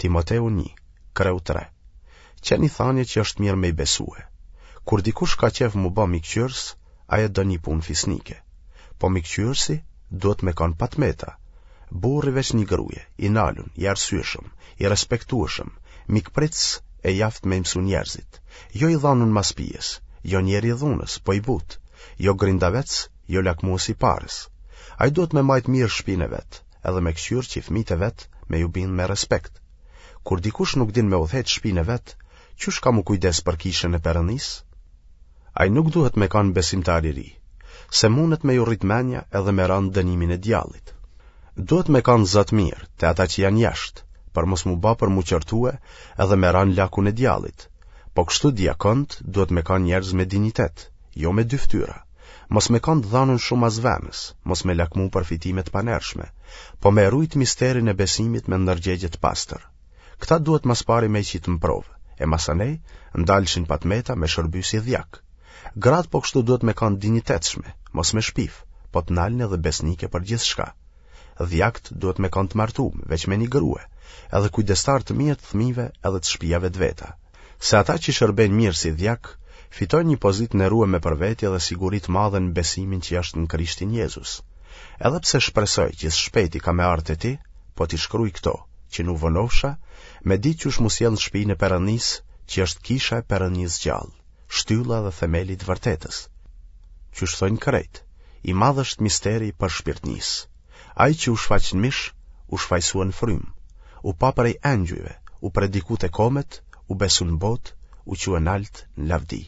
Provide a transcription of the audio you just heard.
Timoteu 1, kreu 3. Qe një thanje që është mirë me i besue. Kur dikush ka qejf m'u ba mikqyrës, ai e do një punë fisnike. Po mikqyrësi duhet me kanë pa të meta. Burrë i veç një gruje, i nalun, i arsyeshëm, i respektueshëm, mikpritës e i aftë me i mësu njerëzit. Jo i dhanun mas pijes, jo njeri i dhunës, po i butë, jo grindavec, jo lakmues i parës. Ai duhet me majtë mirë shpinë e vet, edhe me këqyrë që fëmijët e vet me ju bind me respekt. Kur dikush nuk din me udhëheq shpinë e vet, qysh ka m'u kujdes për kishën e Perëndisë? Ai nuk duhet me kanë besimtar i ri, se mundet me ju rrit menja edhe me ra në dënimin e djallit. Duhet me kanë za të mirë te ata që janë jashtë, për mos m'u ba për m'u qortue edhe me ra në lakun e djallit. Po kështu diakont duhet me kanë njerëz me dinjitet, jo me dy fytyra. Mos me kanë të dhanun shumë mas venës, mos me lakmu për fitime të panershme, po me rujt misterin e besimit me ndërgjegje të pastër. Këta duhet ma s'pari me i qitë në provë, e masanej, n'dalshin pa të meta me shërby si dhjak. Gratë po kështu duhet me kanë dinjitetshme, mos me shpif, po të nalne dhe besnike për gjithçka. Dhjakt duhet me kanë të martum, veç me një grue, edhe kujdestar të mirë të fëmijëve edhe të shpijave të veta. Se ata që shërbejnë mirë si dhjak, fitojnë një pozitë nderueme për veti dhe siguri të madhe në besimin që është në Krishtin Jezus. Edhe pse shpresoj që së shpejti kam me ardhë te ti, po t'i shkruj këto, që n'u vonofsha, me ditë qysh m'u sjellë në shpinë e Perëndisë, që është kisha e Perëndisë gjallë, shtylla dhe themeli i të vërtetës. Qysh thojnë krejt, i madh është misteri i përshpirtnisë. Ai që u shfaq në mish, u shfajsua në frymë, u pa prej engjujve, u prediku te komet, u besu në botë, u çua nalt në lavdi.